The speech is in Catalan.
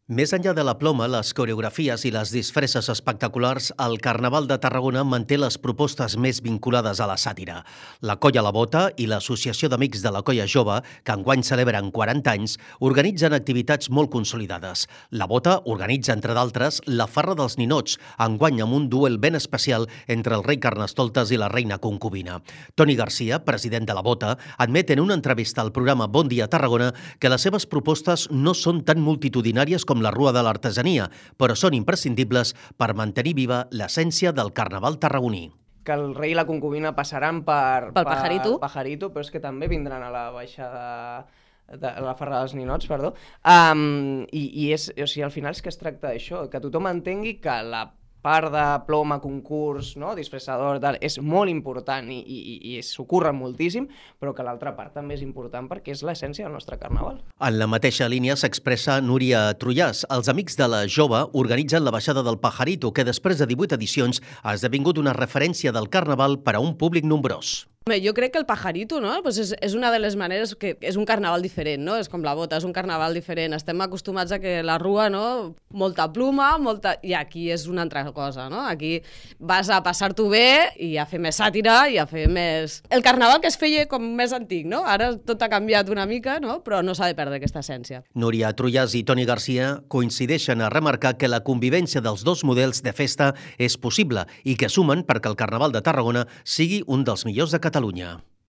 Més enllà de la ploma, les coreografies i les disfresses espectaculars, el Carnaval de Tarragona manté les propostes més vinculades a la sàtira. La Colla La Bota i l'Associació d'Amics de la Colla Jove, que enguany celebren 40 anys, organitzen activitats molt consolidades. La Bota organitza, entre d'altres, la Farra dels Ninots, enguany amb un duel ben especial entre el rei Carnestoltes i la reina concubina. Toni Garcia, president de la Bota, admet en una entrevista al programa Bon Dia Tarragona que les seves propostes no són tan multitudinàries com la Rua de l'Artesania, però són imprescindibles per mantenir viva l'essència del Carnaval tarragoní. Que el rei i la concubina passaran per Pajarito, però és que també vindran a la baixada de la Farra dels Ninots, perdó. O sigui, al final és que es tracta d'això, que tothom entengui que la part de ploma, concurs, no? Disfressador, tal, és molt important i s'ho curren moltíssim, però que l'altra part també és important perquè és l'essència del nostre carnaval. En la mateixa línia s'expressa Núria Trullàs. Els Amics de la Jove organitzen la baixada del Pajarito, que després de 18 edicions ha esdevingut una referència del carnaval per a un públic nombrós. Jo crec que el Pajarito, no? Pues és una de les maneres que és un carnaval diferent, no? És com la Bota, és un carnaval diferent. Estem acostumats a que la Rua, no? Molta pluma, i aquí és una altra cosa, no? Aquí vas a passar-t'ho bé i a fer més sàtira i a fer més... El carnaval que es feia com més antic, no? Ara tot ha canviat una mica, no? Però no s'ha de perdre aquesta essència. Núria Trullàs i Toni Garcia coincideixen a remarcar que la convivència dels dos models de festa és possible i que sumen perquè el Carnaval de Tarragona sigui un dels millors de Catalunya.